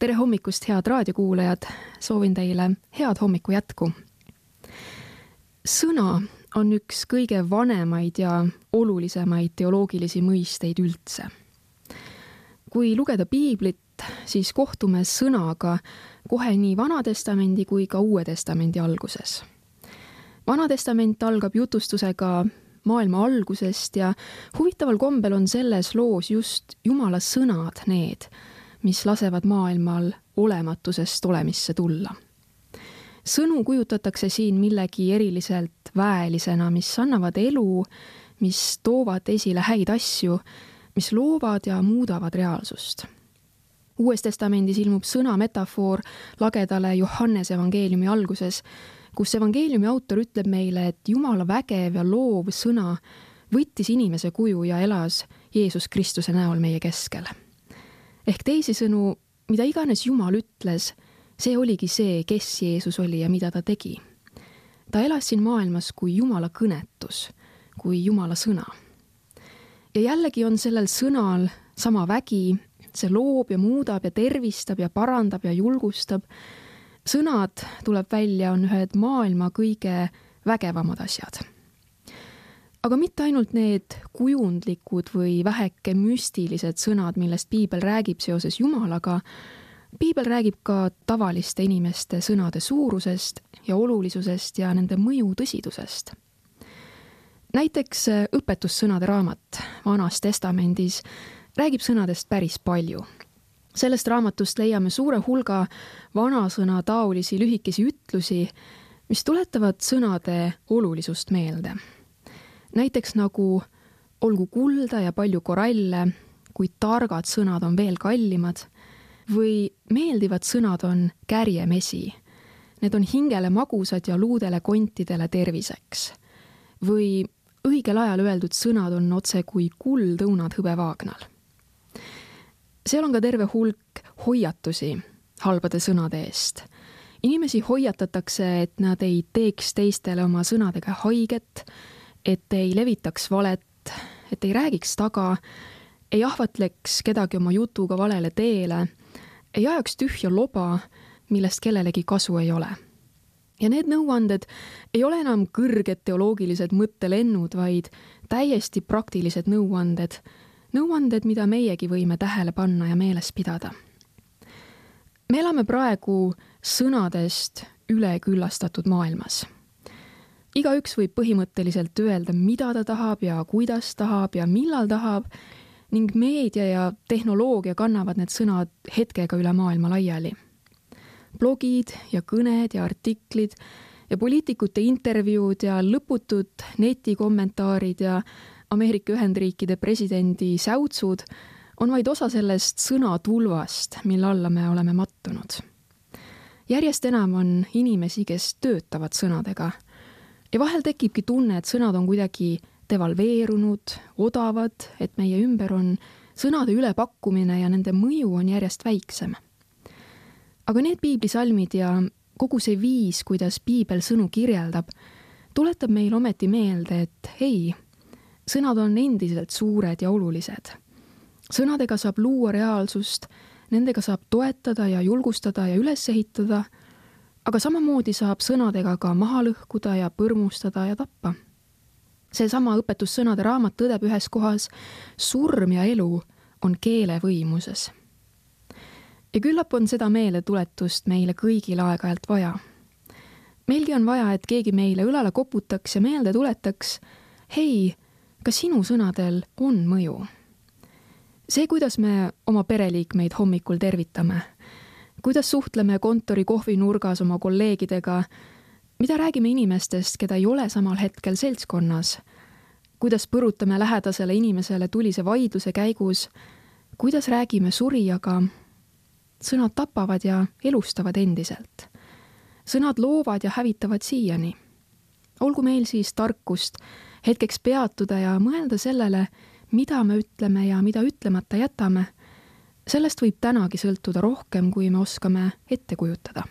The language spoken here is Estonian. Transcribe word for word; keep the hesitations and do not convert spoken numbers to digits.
Tere hommikust, head raadiokuulajad! Soovin teile head hommiku jätku. Sõna on üks kõige vanemaid ja olulisemaid teoloogilisi mõisteid üldse. Kui lugeda piiblit, siis kohtume sõnaga kohe nii Vanatestamendi kui ka Uue Testamendi alguses. Vanatestament algab jutustusega maailma algusest ja huvitaval kombel on selles loos just Jumala sõnad need, mis lasevad maailmal olematusest olemisse tulla. Sõnu kujutatakse siin millegi eriliselt väelisena, mis annavad elu, mis toovad esile häid asju, mis loovad ja muudavad reaalsust. Uues testamendis ilmub sõna metafoor lagedale Johannese evangeeliumi alguses, kus evangeeliumi autor ütleb meile, et Jumala vägev ja loov sõna võttis inimese kuju ja elas Jeesus Kristuse näol meie keskel. Ehk teisisõnu, mida iganes Jumal ütles, see oligi see, kes Jeesus oli ja mida ta tegi. Ta elas siin maailmas kui Jumala kõnetus, kui Jumala sõna. Ja jällegi on sellel sõnal sama vägi, see loob ja muudab ja tervistab ja parandab ja julgustab. Sõnad, tuleb välja, on ühed maailma kõige vägevamad asjad. Aga mitte ainult need kujundlikud või väheke müstilised sõnad, millest piibel räägib seoses Jumalaga, piibel räägib ka tavaliste inimeste sõnade suurusest ja olulisusest ja nende mõju tõsidusest. Näiteks õpetussõnade raamat Vanas testamendis räägib sõnadest päris palju. Sellest raamatust leiame suure hulga vanasõna taolisi lühikesi ütlusi, mis tuletavad sõnade olulisust meelde. Näiteks nagu olgu kulda ja palju koralle, kui targad sõnad on veel kallimad, või meeldivad sõnad on kärjemesi. Need on hingele magusad ja luudele kontidele terviseks. Või õigel ajal öeldud sõnad on otse kui kuld õunad hõbevaagnal. Seal on ka terve hulk hoiatusi halbade sõnade eest. Inimesi hoiatatakse, et nad ei teeks teistele oma sõnadega haiget, et ei levitaks valet, et ei räägiks taga, ei ahvatleks kedagi oma jutuga valele teele, ei ajaks tühja loba, millest kellelegi kasu ei ole. Ja need nõuanded ei ole enam kõrged teoloogilised mõttelennud, vaid täiesti praktilised nõuanded, nõuanded, mida meiegi võime tähele panna ja meeles pidada. Me elame praegu sõnadest üleküllastatud maailmas. Igaüks võib põhimõtteliselt öelda, mida ta tahab ja kuidas tahab ja millal tahab, ning meedia ja tehnoloogia kannavad need sõnad hetkega üle maailma laiali. Blogid ja kõned ja artiklid ja poliitikute intervjuud ja lõputud netikommentaarid ja Ameerika Ühendriikide presidendi säutsud on vaid osa sellest sõnatulvast, mille alla me oleme mattunud. Järjest enam on inimesi, kes töötavad sõnadega. Ja vahel tekibki tunne, et sõnad on kuidagi devalveerunud, odavad, et meie ümber on sõnade ülepakkumine ja nende mõju on järjest väiksem. Aga need piiblisalmid ja kogu see viis, kuidas piibel sõnu kirjeldab, tuletab meil ometi meelde, et ei, sõnad on endiselt suured ja olulised. Sõnadega saab luua reaalsust, nendega saab toetada ja julgustada ja üles ehitada, aga samamoodi saab sõnadega ka maha lõhkuda ja põrmustada ja tappa. See sama õpetussõnade raamat tõdeb ühes kohas, surm ja elu on keele võimuses. Ja küllap on seda meeletuletust meile kõigil aeg-ajalt vaja. Meilgi on vaja, et keegi meile õlale koputaks ja meelde tuletaks, hei, ka sinu sõnadel on mõju. See, kuidas me oma pereliikmeid hommikul tervitame, kuidas suhtleme kontori kohvinurgas oma kolleegidega, mida räägime inimestest, keda ei ole samal hetkel seltskonnas, kuidas põrutame lähedasele inimesele tulise vaidluse käigus, kuidas räägime surijaga, sõnad tapavad ja elustavad endiselt. Sõnad loovad ja hävitavad siiani. Olgu meil siis tarkust hetkeks peatuda ja mõelda sellele, mida me ütleme ja mida ütlemata jätame. Sellest võib tänagi sõltuda rohkem, kui me oskame ette kujutada.